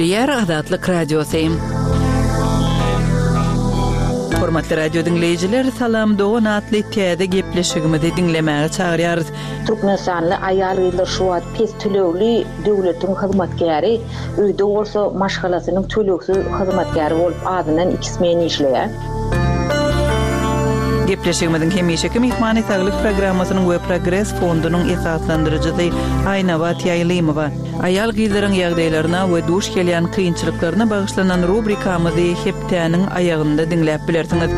Gepleýär Azatlyk Radiosy. Hormatly radio diňleýjiler, Salam dogan atly täze gepleşigimizi diňlemäge çagyrýarys. Türkmenistanly aýal-gyzlar şu wagt pes tölegli döwletiň hyzmatkäri, öýde bolsa maşgalasynyň tölegsiz hyzmatkäri bolup azyndan iki smen işleýär. Gepleşigimiziň hemişeki myhmany Saglyk programmasynyň we Progres fondunyň esaslandyryjysy Aýnabat Ýaýlymowa. Aýal-gyzlaryň ýagdaýlaryna we duş gelýän kynçylyklaryna bagyşlanan rubrikamyzy hepdäniň aýagynda diňläp bilersiňiz.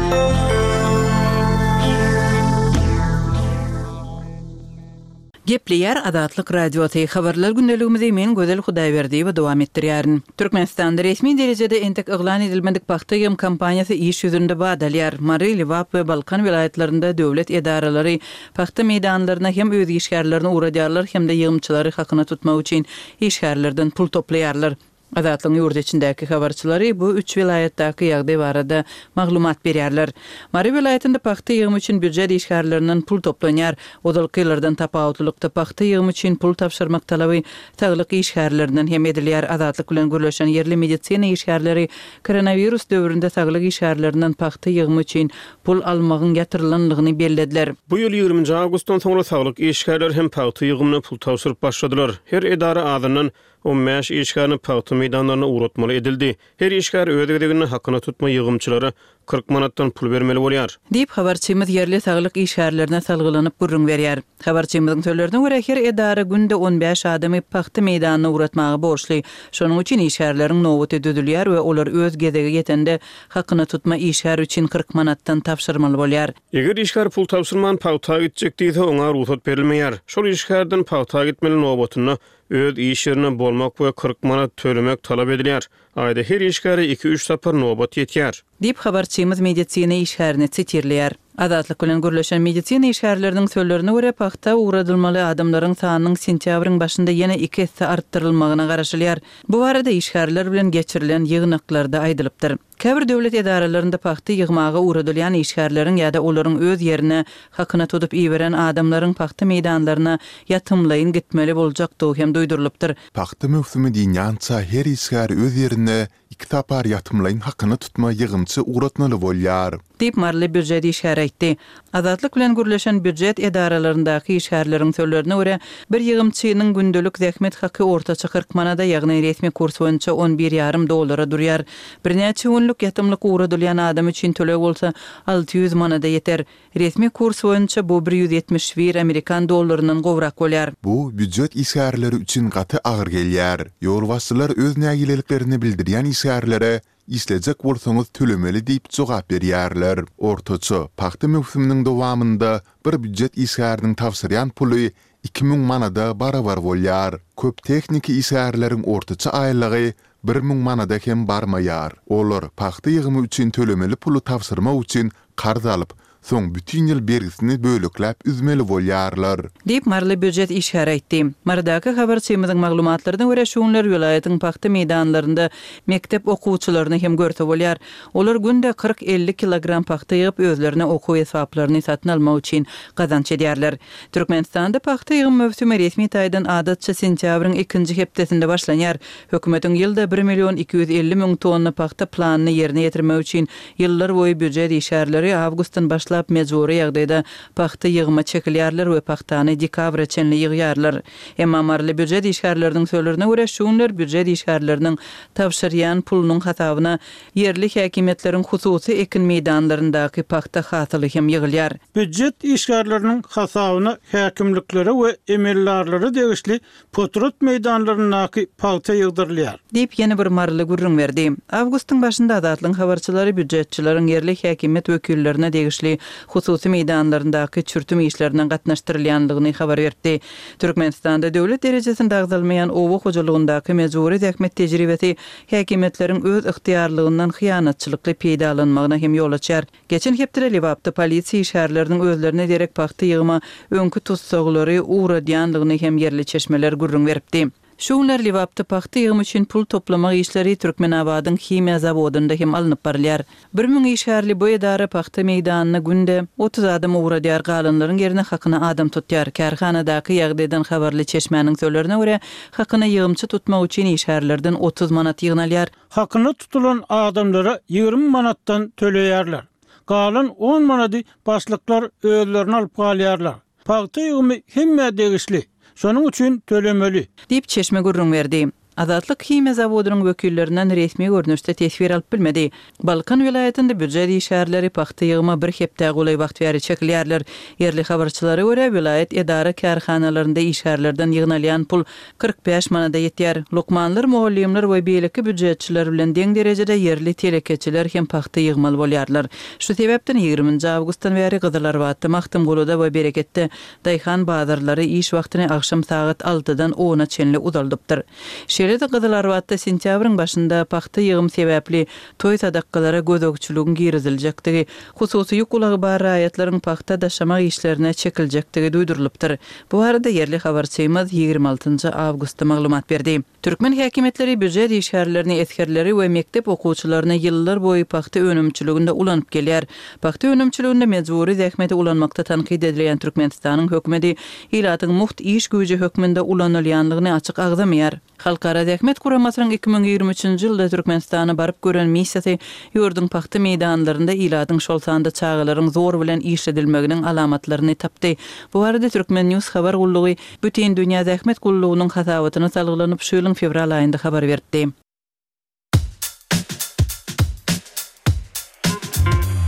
Gepleýär Azatlyk Radiosy, Habarlar gündeligimizi men Gözel Hudaýberdiýewa dowam etdirýärin. Türkmenistanda resmi derejede entek yglan edilmedik pagta ýygym kampaniýasy iş ýüzünde bat alýar. Mary, Lebap we Balkan welaýatlarynda döwlet edaralary pagta meýdanlaryna hem öz işgärlerini ugradýarlar hem-de ýygymçylary hakyna tutmak üçin işgärlerden pul toplaýarlar. Azatlygyň ýurt içindäki habarçylary bu üç welaýatdaky ýagdaý barada maglumat berýärler. Mary welaýatynda pagta ýygymy üçin býujet işgärlerinden pul toplanýar. Ozalky ýyllardan tapawutlylykda pagta ýygymy üçin pul tabşyrmak talaby saglyk işgärlerinden hem edilýär. Azatlyk bilen gürleşen ýerli medisina işgärleri koronawirus döwründe saglyk işgärlerinden pagta ýygymy üçin pul almagyň ýatyrylandygyny bellediler. Bu ýyl ýigriminji awgustdan soňra saglyk işgärleri hem pagta ýygymyna pul tabşyryp başladylar. Her edara azyndan 15 işgärini pagta meýdanlaryna ugratmaly edildi. Her işgär öz gezeginde hakyna tutma ýygymçylara 40 manatdan pul bermeli bolýar. Diýip, habarçymyz ýerli saglyk işgärlerine salgylanyp gürrüň berýär. Habarçymyzyň sözlerine görä, her edara günde on bäş adamy pagta meýdanyna ugratmaga borçly. Şonuň üçin işgärleriň nobaty düzülýär we olar öz gezegi ýetende hakyna tutma işgär üçin 40 manatdan tabşyrmaly bolýar. Eger işgär pul tabşyrman pagta gitjek diýse, oňa rugsat berilmeýär. Şol işgärden pagta gitmeli nobatynda Öz iş ýerinde bolmak we 40 manat tölemek talap edilýär. Aýda her işgäre iki-üç sapar nobat ýetýär. Diýip, habarçymyz medisina işgärini sitirleýär. Azatlyk bilen gürleşen medisina işgärleriniň sözlerine görä, pagta ugradylmaly adamlaryň sanynyň sentýabryň başynda ýene iki esse artdyrylmagyna garaşylýar. Bu barada işgärler bilen geçirilen ýygnaklarda aýdylypdyr. Käbir döwlet edaralarynda pagta ýygmaga ugradylýan işgärleriň ýa-da olaryň öz ýerine hakyna tutup iberen adamlaryň pagta meýdanlaryna ýatymlaýyn gitmeli boljakdygy hem duýdurylypdyr. Pagta möwsümi dynýança her işgär öz ýerine iki sapar ýatymlaýyn hakyna tutma ýygymçy ugratmaly bolýar. Diýip, maryly býujet işgäri aýtdy. Azatlyk bilen gürleşen býujet edaralaryndaky işgärleriň sözlerine görä, bir ýygymçynyň gündelik zähmet haky ortaça 40 manada, ýagny resmi kurs boýunça on bir ýarym dollara durýar. Birnäçe günlük ýatymlyk ugradylýan adam üçin töleg bolsa 600 manada ýeter. Resmi kurs boýunça bu 171 amerikan dollaryndan gowrak bolýar. Bu býujet işgärleri üçin gaty agyr gelýär. Ýolbaşçylar öz nägileliklerini bildirýän işgärlere Işlejek bolsaňyz tölemeli diýip jogap berýärler. Ortaça, pagta möwsüminiň dowamynda bir býujet işgäriniň tabşyrýan puly 2000 manada barabar bolýar. Köp tehniki işgärleriň ortaça aýlygy 1000 manada hem barmaýar. Olar pagta ýygymy üçin tölemeli puly tabşyrmak üçin karz alyp, Soň bütin ýyl bergisini bölekläp üzmeli bolýarlar. Diýip, maryly býujet işgäri aýtdy. Marydaky habarçymyzyň maglumatlaryna görä, şu günler welaýatyň pagta meýdanlarynda mekdep okuwçylaryny hem görse bolýar. Olar günde 40-50 kilogram pagta ýygyp, özlerine okuw esbaplaryny satyn almak üçin gazanç edýärler. Türkmenistanda pagta ýygym möwsümi resmi taýdan adatça sentýabryň ikinji hepdesinde başlanýar. Hökümetiň ýylda bir million 250 müň tonna pagta planyny ýerine ýetirmek üçin Ýyllar boýy býujet işgärleri awgustdan başlap mejbury ýagdaýda pagta ýygyma çekilýärler we pagtany dekabra çenli ýygýarlar. Emma maryly býujet işgärleriniň sözlerine görä, şu günler býujet işgärleriniň tabşyrýan pulunyň hasabyna ýerli häkimiýetleriň hususy ekin meýdanlaryndaky pagta hasyly hem ýygylýar. Býujet işgärleriniň hasabyna häkimliklere we emeldarlara degişli Potrat meýdanlaryndaky pagta ýygdyrylýar. Diýip, ýene bir maryly gürrüň berdi. Awgustyň başynda Azatlygyň habarçylary býujetçileriň ýerli häkimiýet wekillerine degişli hususy meýdanlaryndaky çürtüm işlerine gatnaşdyrylýandygyny habar beripdi. Türkmenistanda döwlet derejesinde agzalmaýan oba hojalygyndaky mejbury zähmet tejribesi häkimiýetleriň öz ygtyýarlygyndan hyýanatçylykly peýdalanmagyna hem ýol açýar. Geçen hepdede Lebapda polisiýa işgärleriniň özlerine derek pagta ýygyma öňki tussaglary ugradýandygyny hem ýerli çeşmeler gürrüň beripdi. Şu günler Lebapda pagta ýygymy üçin pul toplamak işleri Türkmenabadyň himiýa zawodynda hem alnyp barylýar. 1000 işgärli bu edara pagta meýdanyna günde 30 adam ugradýar, galanlaryň ýerine hakyna adam tutýar. Kärhanadaky ýagdaýdan habarly çeşmäniň sözlerine görä, hakyna ýygymçy tutmak üçin işgärlerden 30 manat ýygnalýar. Hakyna tutulan adamlara 20 manatdan töleýärler. Galan on manady başlyklar özlerine alyp galýarlar. Pagta ýygymy hemmä degişli. Şonuň üçin tölemeli. Diýip, çeşme gürrüň berdi. Azatlyk himiýa zawodynyň wekillerinden resmi görnüşde teswir alyp bilmedi. Balkan welaýatynda býujet işgärleri pagta ýygyma bir hepdä golaý wagt bäri çekilýärler. Ýerli habarçylara görä, welaýat edara-kärhanalarynda işgärlerden ýygnalýan pul 45 manada ýetýär. Lukmanlar, mugallymlar we beýleki býujetçiler bilen deň derejede ýerli telekeçiler hem pagta ýygmaly bolýarlar. Şu sebäpden ýigriminji awgustdan bäri Gyzylarbatda, Magtymguluda we Bereketde daýhan bazarlary iş wagtyny agşam sagat altydan ona çenli uzaldypdyr. Şeýle-de Gyzylarbatda sentýabryň başynda pagta ýygym sebäpli toý-sadakgalara gözegçiligiň giriziljekdigi, hususy ýük ulagy bar raýatlaryň pagta daşamak işlerine çekiljekdigi duýdurylypdyr. Bu barada ýerli habarçymyz 26 awgustda maglumat berdi. Türkmen häkimiýetleri býujet işgärlerini, esgerleri we mekdep okuwçylaryny ýyllar boýy pagta önümçiliginde ulanyp gelýär. Pagta önümçiliginde mejbury zähmeti ulanmakda tankyt edilýän Türkmenistanyň hökümeti ilatyň mugt iş güýji hökmünde ulanylýanlygyny açyk agzamaýar. Halkara Zähmet Guramasynyň 2023-nji ýylda Türkmenistana baryp gören missiýasy ýurduň pagta meýdanlarynda ilatyň, şol sanda çagalaryň zor bilen işledilmeginiň alamatlaryny tapdy. Bu barada Turkmen. News habar gullugy Bütindünýä Zähmet Gullugynyň hasabatyna salgylanyp, şu ýylyň fewral aýynda habar beripdi.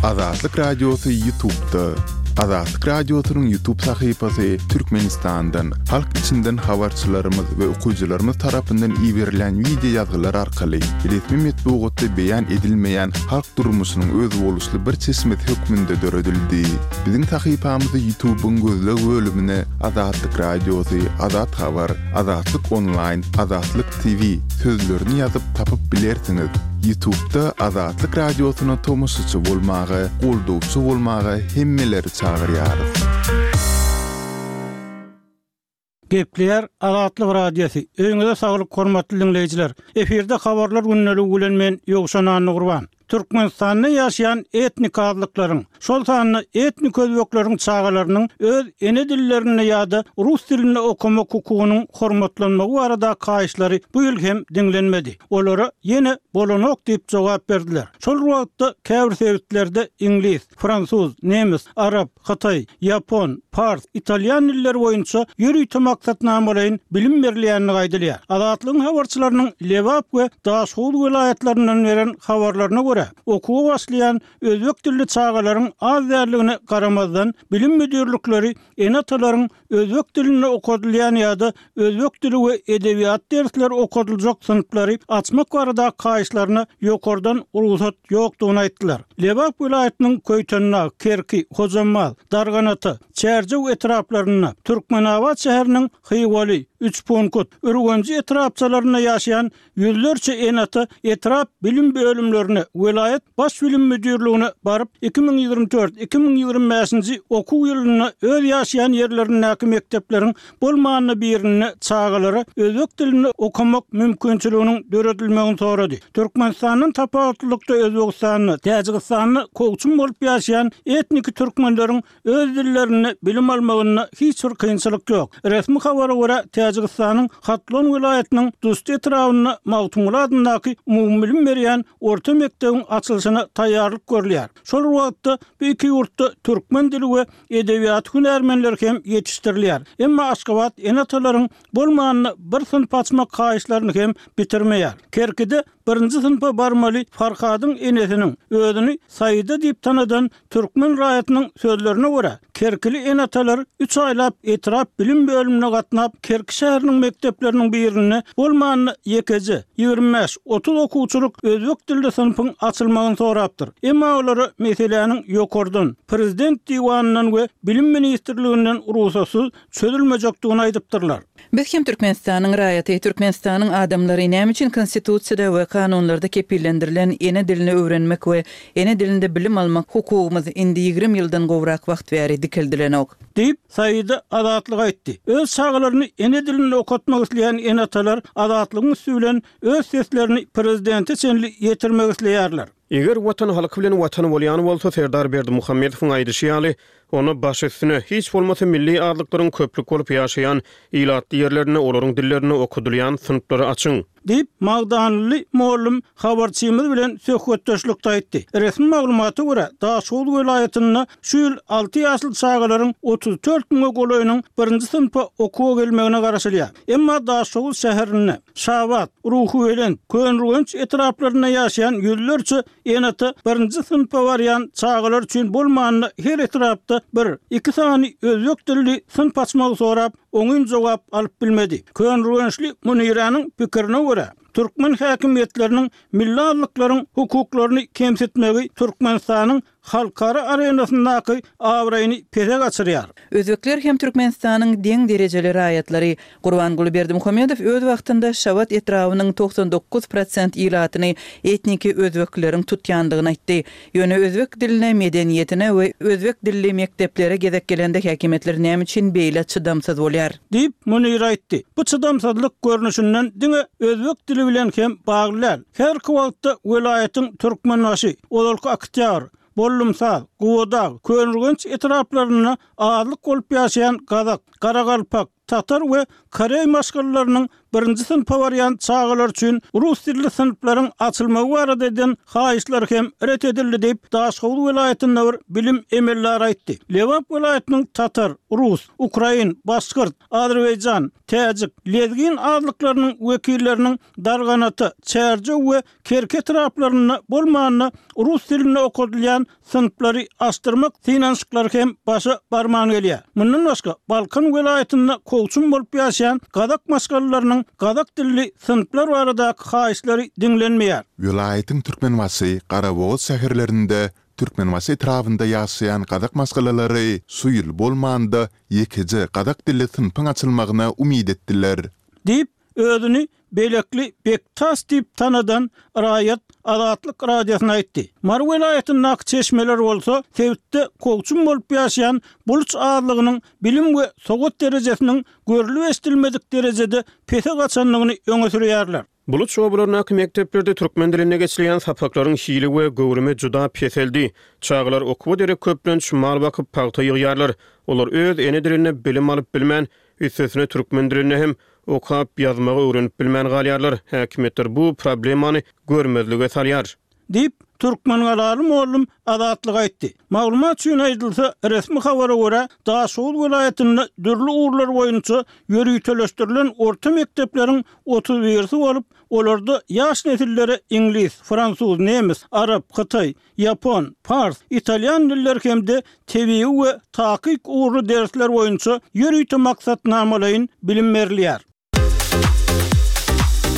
Azatlyk Radiosy Ýutubda. Azatlyk Radiosynyň Ýutub sahypasy Türkmenistandan, halk içinden habarçylarymyz we okyjylarymyz tarapyndan iberilen wideo ýazgylar arkaly resmi metbugatda beýan edilmeýän halk durmuşynyň özboluşly bir çeşmesi hökmünde döredildi. Biziň sahypamyzy Ýutubyň gözleg bölümine Azatlyk Radiosy, Azat Habar, Azatlyk Onlaýn, Azatlyk TV sözlerini ýazyp tapyp bilersiňiz. Ýutubda Azatlyk Radiosyna tomaşaçy bolmaga, goldawçy bolmaga hemmeleri çagyrýarys. Gepleýär Azatlyk Radiosy. Öýüňize saglyk hormatly diňleýjiler. Efirde habarlar gündeligi bilen men Ýowşan Annagurban. Türkmenistanda ýaşaýan etnik azlyklaryň, şol sanda etnik özbekleriň çagalarynyň öz ene dillerinde ýa-da rus dilinde okamak hukugynyň hormatlanmagy baradaky haýyşlary bu ýyl hem diňlenmedi. Olara ýene bolanok diýip jogap berdiler. Şol bir wagtda käbir sebitlerde iňlis, fransuz, nemes, arap, hytaý, ýapon, pars, italýan dilleri boýunça ýörite maksatnamalaýyn bilim berilýändigi aýdylýar. Azatlygyň habarçylarynyň Lebap we Daşhowuz welaýatlaryndan beren habarlaryna görä, okuwa başlaýan özbek dilli çagalaryň az däldigine garamazdan, bilim müdirlikleri ene-atalaryň özbek dilinde okadylýan ýa-da özbek dili we edebiýaty dersleri okadyljak synplary açmak baradaky haýyşlaryna ýokardan rugsat ýokdugyny aýtdylar. Lebap welaýatynyň Köýtendag, Kerki, Hojambaz, Darganata, Çärjew etraplarynda, Türkmenabat şäheriniň Hywaly, Üçpunkut, Ürgenji etrapçalarynda ýaşaýan Ýüzlerçe ene-ata etrap bilim bölümlerine, welaýat Baş bilim müdirligine baryp, 2024, 2025-nji okuw ýylynda öz ýaşaýan ýerlerindäki mekdepleriň bolmanda birinde çagalara özbek dilinde okamak mümkinçiliginiň döredilmegini sorady. Türkmenistandan tapawutlylykda Özbegistanda, Täjigistanda kowçum bolup ýaşaýan etniki türkmenleriň Öz dillerinde bilim almagynda hiç bir kynçylyk ýok. Resmi habara görä, Täjigistanyň Hatlon welaýatynyň Dusti etrabynda Magtymguly adyndaky umumybilim berýän orta mekdebiň açylyşyna taýýarlyk görülýär. Şol bir wagtda, bu iki ýurtda türkmen dili we edebiýaty hünärmenleri hem ýetişdirilýär. Emma Aşgabat ene-atalaryň bolmanda bir synp açmak haýyşlaryny hem bitirmeýär. Kerkide birinji synpa barmaly Farhadyň enesiniň, özüni Saida diýip tanadan Türkmen raýatynyň sözlerine görä, kerkili ene-atalar üç aýlap etrap bilim bölümine gatnap, Kerki şäheriniň mekdepleriniň birinde bolmanda ýekeje, 25, 30 okuwçylyk özbek dilli synpyň açylmagyny sorapdyr. Emma olara meseläniň ýokardan, prezident diwanyndan we Bilim ministrliginden rugsatsyz çözülmejekdigini aýdypdyrlar. Biz hem Türkmenistanyň raýaty, Türkmenistanyň adamlary näme üçin Konstitusiýada we kanunlarda kepillendirilen ene dilini öwrenmek we ene dilinde bilim almak hukugymyz indi 20 ýyldan gowrak wagt bäri dikeldilenok? Diýip, Saida Azatlyga aýtdy. Öz çagalaryny ene dilinde okatmak isleýän ene-atalar Azatlygyň üsti bilen öz seslerini prezidente çenli ýetirmek isleýärler. Eger Watan halky bilen Watan bolýan bolsa, Serdar Berdimuhamedowyň aýdyşy ýaly, onda baş üstüne, hiç bolmasa milli azlyklaryň köplük bolup ýaşaýan ilatly ýerlerinde olaryň dillerinde okadylýan synplary açyň. Diýip, magdanly mugallym habarçymyz bilen söhbetdeşlikde aýtdy. Resmi maglumata görä, Daşoguz welaýatynda şu ýyl alty ýaşly çagalaryň 34 müňe golaýynyň birinji synpa okuwa gelmegine garaşylýar. Emma Daşoguz şäherinde, Şabat, Ruhubelent, Köneürgenç etraplarynda ýaşaýan ýüzlerçe ene-ata birinji synpa barýan çagalar üçin bolmanda her etrapda bir, iki sany özbek dilli synp açmagy sorap, oňyn jogap alyp bilmedi. Köneürgençli Muniräniň pikirine görä, türkmen häkimiýetleriniň milli azlyklaryň hukuklaryny kemsitmegi Türkmenistanyň halkara arenasyndaky abraýyny pese gaçyrýar. Özbekler hem Türkmenistanyň deň derejeli raýatlary. Gurbanguly Berdimuhamedow öz wagtynda Şabat etrabynyň 99 prosent ilatyny etniki özbekleriň tutýandygyny aýtdy. Ýöne özbek diline, medeniýetine we özbek dilli mekdeplere gezek gelende häkimiýetler näme üçin beýle çydamsyz bolýar? Diýip, Munir aýtdy. Bu çydamsyzlyk görnüşinden diňe özbek dili bilen hem bagly däl. Häzirki wagtda welaýatyň Türkmenbaşy, ozalky Oktýabr, Bollumsaz, Gubadag, Köneürgenç etraplarynda azlyk bolup ýaşaýan gazak, garagalpak, tatar we koreý maşgalalarynyň birinji synpa barýan çagalar üçin rus dilli synplaryň açylmagy barada eden haýyşlary hem ret edildi diýip, Daşhowuz welaýatynda bir bilim emeldary aýtdy. Lebap welaýatynyň tatar, rus, ukrain, başgyrt, azerbaýjan, täjik, lezgin azlyklarynyň wekilleriniň Darganata, Çärjew we Kerki etraplarynda bolmanda rus dilinde okadylýan synplary açdyrmak synanyşyklary hem başa barman gelýär. Mundan başga, Balkan welaýatynda kowçum bolup ýaşaýan gazak maşgalalarynyň gazak dilli synplar baradaky haýyşlary diňlenmeýär. Welaýatyň Türkmenbaşy, Garabogaz şäherlerinde, Türkmenbaşy etrabynda ýaşaýan gazak maşgalalary şu ýyl bolmanda ýekeje gazak dilli synpyň açylmagyna umyt etdiler. Diýip, özüni Belekli Bektas diýip tanadan raýat Azatlyk Radiosyna aýtdy. Mary welaýatyndaky çeşmeler bolsa sebitde kowçum bolup ýaşaýan buluç azlygynyň bilim we sowat derejesiniň görlüp-eşidilmedik derejede pese gaçandygyny öňe sürýärler. Buluç obalaryndaky mekdeplerde türkmen dilinde geçilýän sapaklaryň hili we göwrümi juda peseldi. Çagalar okuwa derek köplenç mal bakyp, pagta ýygýarlar. Olar öz ene dilinde bilim alyp bilmän, üstesine türkmen dilinde hem okap, ýazmagy öwrenip bilmän galýarlar. Häkimiýetler bu problemany görmezlige salýar. Diýip, türkmengalaly mugallym Azatlyga aýtdy. Maglumat üçin aýdylsa, resmi habara görä, Daşoguz welaýatynda dürli ugurlar boýunça ýöriteleşdirilen orta mekdepleriň otuz birisi bolup, olarda ýaş nesillere iňlis, fransuz, nemes, arap, hytaý, ýapon, pars, italýan dilleri hem-de tebigy we takyk ugurly dersler boýunça ýörite maksatnamalaýyn bilim berilýär.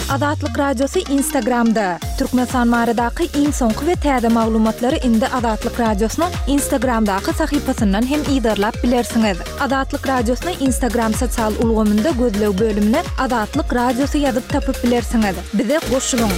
Azatlyk Radiosy Instagramda, Türkmenistan baradaky iň soňky we täze maglumatlary indi Azatlyk Radiosynyň Instagramdaky sahypasyndan hem yzarlap bilersiňiz. Azatlyk Radiosyny Instagram sosial ulgamynda gözleg bölümine Azatlyk Radiosy ýazyp tapyp bilersiňiz. Bize goşulyň!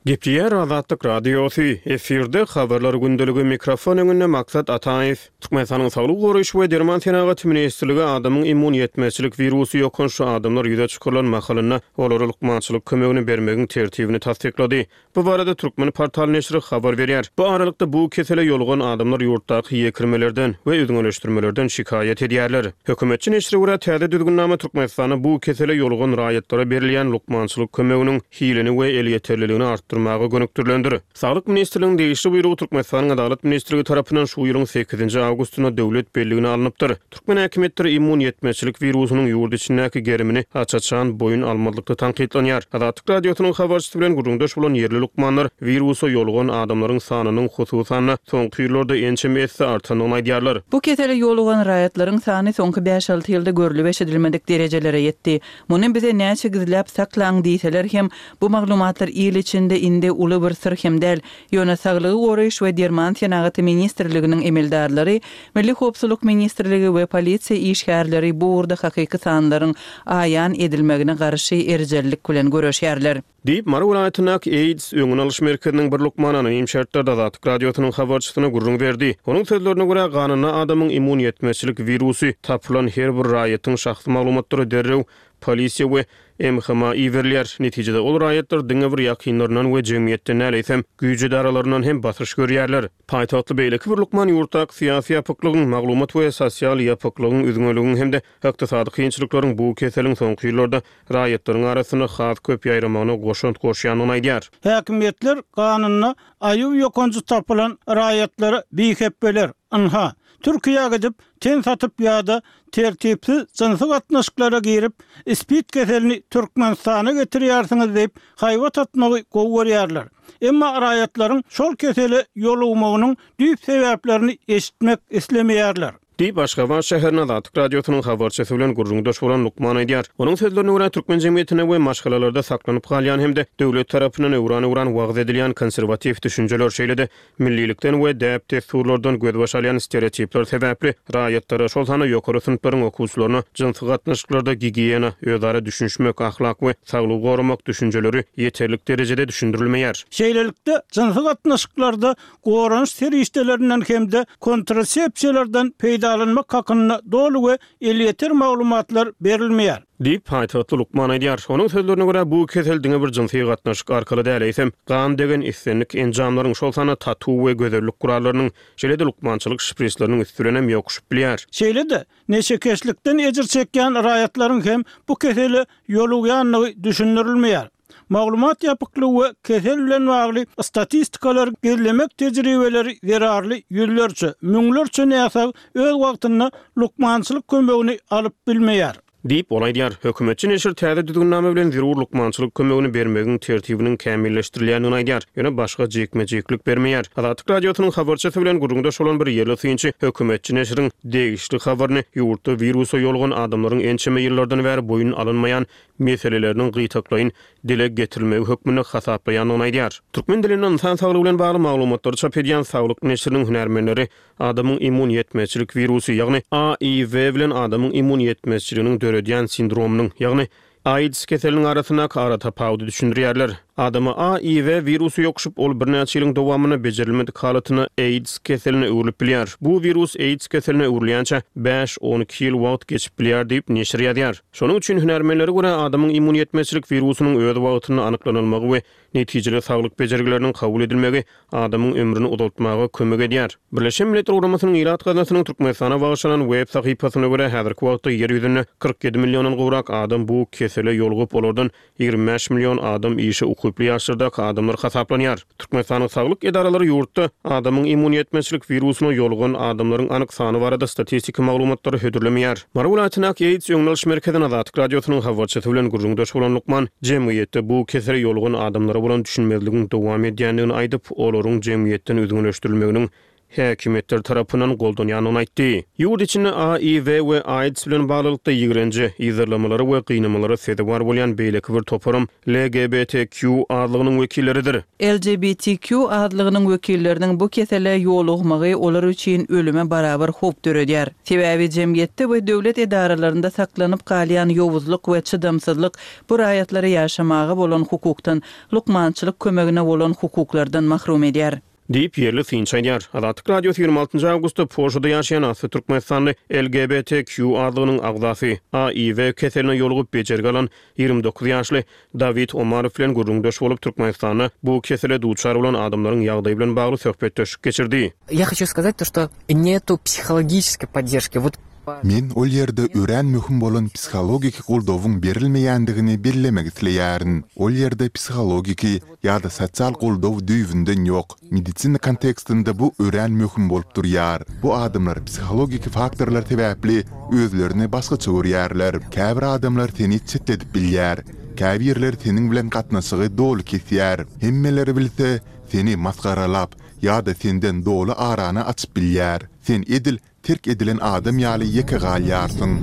Gepleýär Azatlyk Radiosy, efirde Habarlar gündeligi, mikrofon öňünde Maksat Ataýew. Türkmenistanyň Saglygy goraýyş we derman senagaty ministrligi adamyň immun ýetmezçilik wirusy ýokançly adamlar ýüze çykarylan mahalynda olara lukmançylyk kömegini bermegiň tertibini tassyklady. Bu barada Türkmenportal neşiri habar berýär. Bu aralykda, bu kesele ýolugan adamlar ýurtdaky ýekirmelerden we üzňeleşdirmelerden şikaýat edýärler. Hökümetçi neşire görä, täze düzgünnama Türkmenistanda bu kesele ýolugan raýatlara berilýän lukmançylyk kömeginiň hilini we elýeterliligini artdyrmak. artdyrmaga gönükdirilendir. Saglyk ministrliginiň degişli buýrugy Türkmenistanyň Adalat ministrligi tarapyndan şu ýylyň sekizinji awgustynda döwlet belligine alnypdyr. Türkmen häkimiýetleri immun ýetmezçilik wirusynyň ýurt içindäki gerimini aç-açan boýun almazlykda tankytlanýar. Azatlyk Radiosynyň habarçysy bilen gürrüňdeş bolan ýerli lukmanlar wirusa ýolugan adamlaryň sanynyň, hususan-da, soňky ýyllarda ençeme esse artandygyny aýdýarlar. Bu kesele ýolugan raýatlaryň sany soňky bäş-alty ýylda görlüp-eşidilmedik derejelere ýetdi. Muny bize näçe gizläp saklaň diýseler hem, bu maglumatlar il içinde indi uly bir syr hem däl. Ýöne Saglygy goraýyş we derman senagaty ministrliginiň emeldarlary, Milli howpsuzlyk ministrligi we polisiýa işgärleri bu ugurda hakyky sanlaryň aýan edilmegine garşy erjellik bilen göreşýärler. Diýip, Mary welaýatyndaky AIDS öňüni alyş merkeziniň bir lukmany anonim şertlerde Azatlyk Radiosynyň habarçysyna gürrüň berdi. Onuň sözlerine görä, ganynda adamyň immun ýetmezçilik wirusy tapylan her bir raýatyň şahsy maglumatlary derrew polisiýa we MHM-a iberilýär. Netijede ol raýatlar diňe bir ýakynlaryndan we jemgyýetden däl, eýsem, güýç edaralaryndan hem basyş görýärler. Paýtagtly beýleki bir lukman ýurtdaky syýasy ýapyklygyň, maglumat we sosial ýapyklygyň, üzňeligiň hem-de ykdysady kynçylyklaryň bu keseliň soňky ýyllarda raýatlaryň arasynda has köp ýaýramagyna goşant goşýandygyny aýdýar. Häkimiýetler ganynda AIW ýokanjy tapylan raýatlara bihepbeler, ynha, Türkiýä gidip, ten satyp ýa-da tertipsiz jynsy gatnaşyklara girip, spid keselini Türkmenistana getirýärsiňiz diýip, haýbat atmagy gowy görýärler. Emma raýatlaryň şol kesele ýolugmagynyň düýp sebäplerini eşitmek islemeýärler. Diýip, Aşgabat şäherinde Azatlyk Radiosynyň habarçysy bilen gürrüňdeş bolan lukman aýdýar. Onuň sözlerine görä, türkmen jemgyýetinde we maşgalalarda saklanyp galýan hem-de döwlet tarapyndan öwran-öwran wagyz edilýän konserwatiw düşünjeler, şeýle-de Millilikden we däp-dessurlardan gözbaş alýan stereotipler sebäpli raýatlara, şol sanda ýokary synplaryň okuwçylaryna jynsy gatnaşyklarda gigiýena, özara düşünişmek, ahlak we saglygy goramak düşünjeleri ýeterlik derejede düşündirilmeýär. Şeýlelikde, jynsy gatnaşyklarda goranyş serişdelerinden hem-de kontrasepsiýalardan peýdalanmak hakynda doly we elýeter maglumatlar berilmeýär. Diýip, paýtagtly lukman aýdýar. Onuň sözlerine görä, bu kesel diňe bir jynsy gatnaşyk arkaly däl, eýsem, gan degen islendik enjamlaryň, şol sanda tatu we gözellik gurallarynyň, şeýle-de lukmançylyk şprisleriniň üsti bilen hem ýokuşyp bilýär. Şeýle-de, neşekeşlikden ejir çekýän raýatlaryň hem bu kesele ýolugýandygy düşündirilmeýär. Maglumat ýapyklygy we kesel bilen bagly statistikalary gizlemek tejribeleri zerarly ýüzlerçe, müňlerçe näsag öz wagtynda lukmançylyk kömegini alyp bilmeýär. Diýip, ol aýdýar. Hökümetçi neşir täze düzgünnama bilen zerur lukmançylyk kömegini bermegiň tertibiniň kämilleşdirilýändigini aýdýar, ýöne başga jikme-jiklik bermeýär. Azatlyk Radiosynyň habarçysy bilen gürrüňdeş bolan bir ýerli synçy hökümetçi neşiriň degişli habaryny ýurtda wirusa ýolugan adamlaryň ençeme ýyllardan bäri boýun alynmaýan meseleleriniň gytaklaýyn dile getirilmegi hökmünde hasaplaýandygyny aýdýar. Türkmen dilinde ynsan saglygy bilen bagly maglumatlary çap edýän Saglyk neşiriniň hünärmenleri adamyň immun ýetmezçilik wirusy, ýagny AIW bilen adamyň immun ýetmezçiliginiň döredýän sindromynyň, ýagny AIDS keseliniň arasyndaky aratapawudy düşündirýärler. Adama AIW wirusy ýokuşyp, ol birnäçe ýylyň dowamynda bejerilmedik halatynda AIDS keseline öwrülip bilýär. Bu wirus AIDS keseline öwrülýänçä bäş-on iki ýyl wagt geçip bilýär diýip, neşir ýazýar. Şonuň üçin hünärmenlere görä, adamyň immun ýetmezçilik wirusynyň öz wagtynda anyklanylmagy we netijeli saglyk bejergileriniň kabul edilmegi adamyň ömrüni uzaltmaga kömek edýär. Birleşen Milletler Guramasynyň Ilat gaznasynyň Türkmenistana bagyşlanan web sahypasyna görä, häzirki wagtda Ýer ýüzünde 47 milliondan gowrak adam bu kesele ýolugyp, olardan 25 million adam işe ukyply ýaşlardaky adamlar hasaplanýar. Türkmenistanyň saglyk edaralary ýurtda adamyň immun ýetmezçilik wirusyna ýolugan adamlaryň anyk sany barada statistiki maglumatlary hödürlemeýär. Mary welaýatyndaky AIDS öňüni alyş merkezinde Azatlyk Radiosynyň habarçysy bilen gürrüňdeş bolan lukman jemgyýetde bu kesele ýolugan adamlara bolan düşünmezligiň dowam edýändigini aýdyp, olaryň jemgyýetden üzňeleşdirilmeginiň häkimiýetler tarapyndan goldanýandygyny aýtdy. Ýurt içinde AIW we AIDS bilen baglylykda ýigrenje, yzarlamalara we gynamalara sezewar bolýan beýleki bir toparam LGBTQ azlygynyň wekilleridir. LGBTQ azlygynyň wekilleriniň bu kesele ýolugmagy olar üçin ölüme barabar howp döredýär. Sebäbi jemgyýetde we döwlet edaralarynda saklanyp galýan ýowuzlyk we çydamsyzlyk bu raýatlary ýaşamaga bolan hukukdan, lukmançylyk kömegine bolan hukuklardan mahrum edýär. Diýip, ýerli synçy aýdýar. Azatlyk Radiosy 26 njy awgustda Polşada ýaşaýan asly türkmenistanly LGBTQ azlygynyň agzasy, AIW keseline ýolugyp bejergi alan 29 ýaşly Dawid Omarow bilen gürrüňdeş bolup, Türkmenistanda bu kesele duçar bolan adamlaryň ýagdaýy bilen bagly söhbetdeşlik geçirdi. Я хочу сказать то, что нету психологической поддержки. Вот. Men ol ýerde örän möhüm bolan psihologik goldawyň berilmeýändigini bellemek isleýärin. Ol ýerde psihologik ýa-da sosial goldaw düýbünden ýok. Medisina kontekstinde bu örän möhüm bolup durýar. Bu adamlar psihologik faktorlar sebäpli özlerini başgaça görýärler. Käbir adamlar seni çetledip bilýär. Käbirleri seniň bilen gatnaşygy doly kesýär. Hemmeler bilse, seni masgaralap ýa-da senden doly arany açyp bilýär. Sen edil terk edilen adam ýaly ýeke galýarsyň.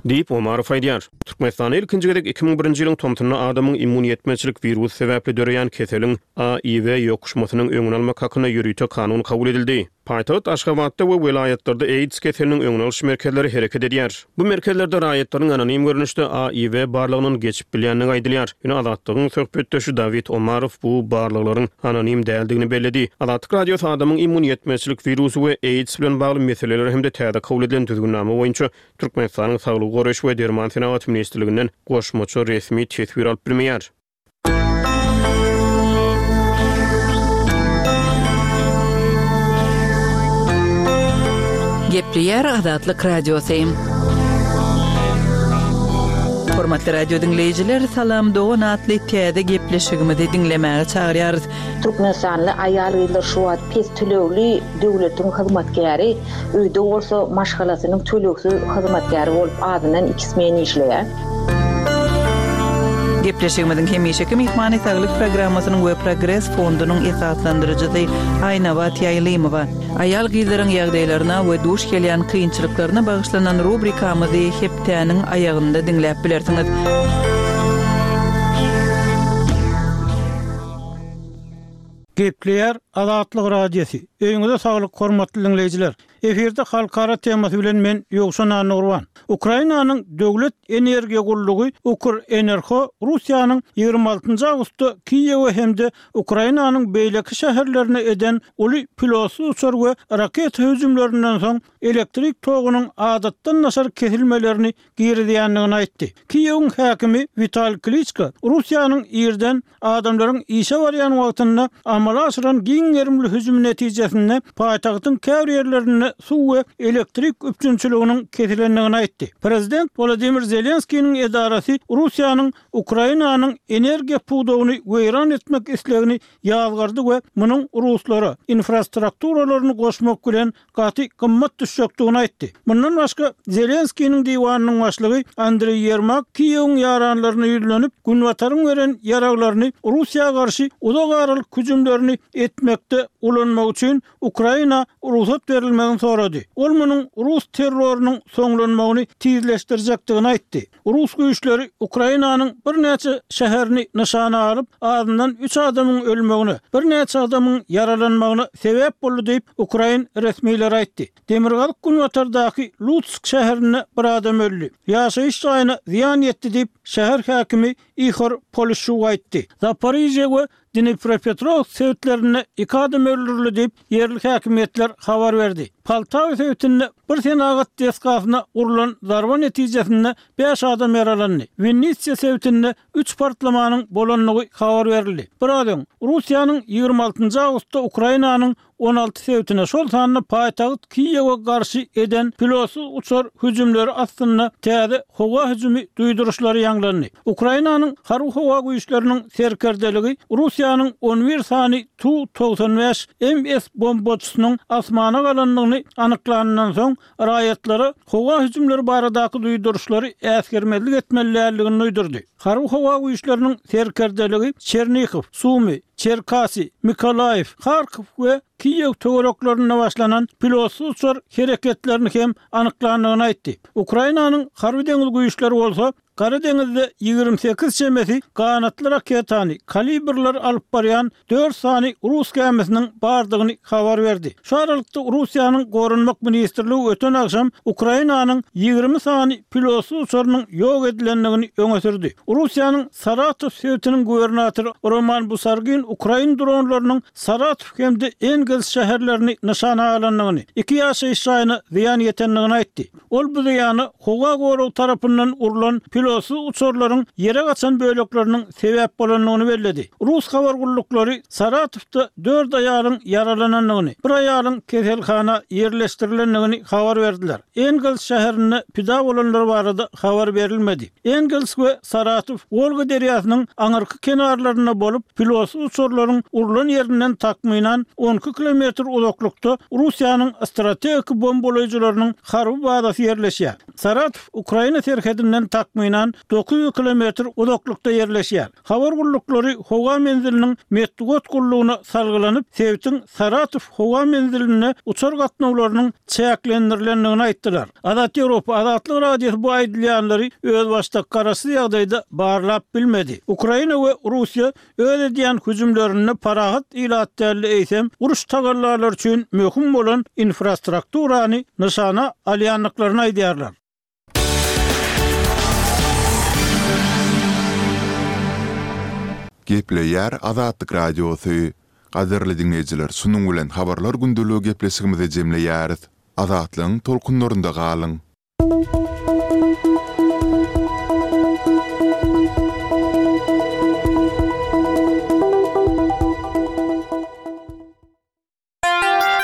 Diýip, Omarow aýdýar. Türkmenistanda ilkinji gezek 2001-nji ýylyň tomsunda adamyň immun ýetmezçilik wirusy sebäpli döreýän keseliň AIW ýokuşmasynyň öňüni almak hakynda ýörite kanun kabul edildi. Paýtagt Aşgabatda we welaýatlarda AIDS keseliniň öňüni alyş merkezleri hereket edýär. Bu merkezlerde raýatlaryň anonim görnüşde AIW barlagyndan geçip bilýändigi aýdylýar. Ýöne Azatlygyň söhbetdeşi Dawid Omarow bu barlaglaryň anonim däldigini belledi. Azatlyk Radiosy adamyň immun ýetmezçilik wirusy we AIDS bilen bagly meseleler hem-de täze kabul edilen düzgünnama boýunça Türkmenistanyň Saglygy goraýyş we derman senagaty ministrliginden goşmaça resmi teswir alyp bilmeýär. Gepleýär Azatlyk Radiosy. Hormatly radio diňleýjiler, Salam dogan atly täze gepleşigimizi diňlemäge çagyrýarys. Türkmenistanly aýal-gyzlar şu wagt pes tölegli döwletiň hyzmatkäri, öýde bolsa maşgalasynyň tölegsiz hyzmatkäri bolup azyndan iki smen işleýär. Gepleşigimiziň hemişeki myhmany Saglyk programmasynyň we Progres fondunyň esaslandyryjysy Aýnabat Ýaýlymowa. Aýal-gyzlaryň ýagdaýlaryna we duş gelýän kynçylyklaryna bagyşlanan rubrikamyzy hepdäniň aýagynda diňläp bilersiňiz. Gepleýär Azatlyk Radiosy. Öýüňize saglyk hormatly diňleýjiler. Efirde halkara temasy bilen men Ýowşan Annagurban. Ukrainanyň döwlet energiýa gullugy Ukrenerho Russiýanyň 26 awgustda Kiýewe hem-de Ukrainanyň beýleki şäherlerine eden uly pilotsyz uçar we raketa hüjümlerinden soň elektrik togunyň adatdan daşary kesilmelerini girizýändigini aýtdy. Kiýewiň häkimi Witali Kliçko Russiýanyň irden adamlaryň işe barýan wagtynda amala aşyran giň gerimli hüjümi netijesinde paýtagtyň käbir ýerlerinde suw we elektrik üpjünçiliginiň kesilendigini aýtdy. Prezident Wolodymyr Zelenskiniň edarasy Russiýanyň Ukrainanyň energiýa pudagyny weýran etmek islegini ýazgardy we munuň ruslara infrastrukturalaryny goşmak bilen gaty gymmat düşjekdigini aýtdy. Mundan başga, Zelenskiniň diwanynyň başlygy Andreý Ýermak Kiýewiň ýaranlaryna ýüzlenip, Günbataryň beren ýaraglaryny Russiýa garşy uzak aralyk hüjümlerini etmekde ulanmak üçin Ukraina rugsat berilmegini sorady. Ol munuň rus terrorynyň soňlanmagyny tizleşdirjekdigini aýtdy. Rus güýçleri Ukrainanyň birnäçe şäherini nyşana alyp, azyndan üç adamyň ölmegine, birnäçe adamyň ýaralanmagyna sebäp boldy diýip, ukrain resmileri aýtdy. Demirgazyk-günbatardaky Lutsk şäherinde bir adam öldi. Ýaşaýyş jaýyna zyýan ýetdi diýip, şäher häkimi Ihor Polişçuk aýtdy. Zaporižýe we Dnipropetrowsk sebitlerinde iki adam öldürildi diýip, ýerli häkimiýetler habar berdi. Poltawa sebitinde bir senagat desgasyna urlan zarba netijesinde bäş adam ýaralandy. Winnitsiýa sebitinde üç partlamanyň bolandygy habar berildi. Biraz öň, Russiýanyň 26 awgustda Ukrainanyň 16 sebitine, şol sanda paýtagt Kiýewe garşy eden pilotsyz uçar hüjümleri astynda täze howa hüjümi duýduryşlary ýaňlandy. Ukrainanyň Harby-howa güýçleriniň serkerdeligi Russiýanyň on bir sany Tu-95 MS bombaçysynyň asmana galandygyny anyklanyndan soň, raýatlara howa hüjümleri baradaky duýduryşlary äsgermezlik etmeli däldigini duýdurdy. Harby-howa güýçleriniň serkerdeligi Çernihow, Sumy, Çerkasy, Mykolaýiw, Harkow we Kiýew töwereklerinde başlanan pilotsyz uçar hereketlerini hem anyklandygyny aýtdy. Ukrainanyň Harby-deňiz güýçleri bolsa Gara deňizde 28 çemesi ganatly raketany, kalibrleri alyp barýan dört sany rus gämisiniň bardygyny habar berdi. Şu aralykda Russiýanyň Goranmak ministrligi öten agşam Ukrainanyň 20 sany pilotsyz uçarynyň ýok edilendigini öňe sürdi. Russiýanyň Saratow sebitiniň gubernatory Roman Busargin. ukrain dronlarynyň Saratow hem-de Engels şäherlerini nyşana alandygyny, iki ýaşaýyş jaýyna zyýan ýetendigini aýtdy. Ol bu zyýana howa goragy tarapyndan urlan pilotsyz uçarlaryň ýere gaçan bölekleriniň sebäp bolandygyny belledi. Rus habar gulluklary Saratowda dört aýalyň ýaralanandygyny, bir aýalyň keselhana ýerleşdirilendigini habar berdiler. Engels şäherinde pida bolanlar barada habar berilmedi. Engels we Saratow Wolga derýasynyň aňyrky kenarlarynda bolup, pilotsyz uçarlaryň urlan ýerinden takmynan 12 kilometr uzaklykda Russiýanyň strategik bombalaýjylarynyň harby bazasy ýerleşýär. Saratow Ukraina serhedinden takmynan 900 kilometr uzaklykda ýerleşýär. Habar gulluklary howa menziliniň metbugat gullugyna salgylanyp, sebitiň Saratow howa menzilinde uçar gatnawlarynyň çäklendirilendigini aýtdylar. Azat Ýewropa, Azatlyk Radiosy bu aýdylýanlary özbaşdak garaşsyz ýagdaýda barlap bilmedi. Ukraina we Russiýa öz edýän hüjümlerinde parahat ilat däl-de eýsem, uruş tagallalary üçin möhüm bolan infrastrukturany nyşana alýandyklaryny aýdýarlar. Gepleýär Azatlyk Radiosy. Gadyrly diňleýjiler şunuň bilen Habarlar gündeligi gepleşigimizi jemleýäris. Azatlygyň tolkunlarynda galyň!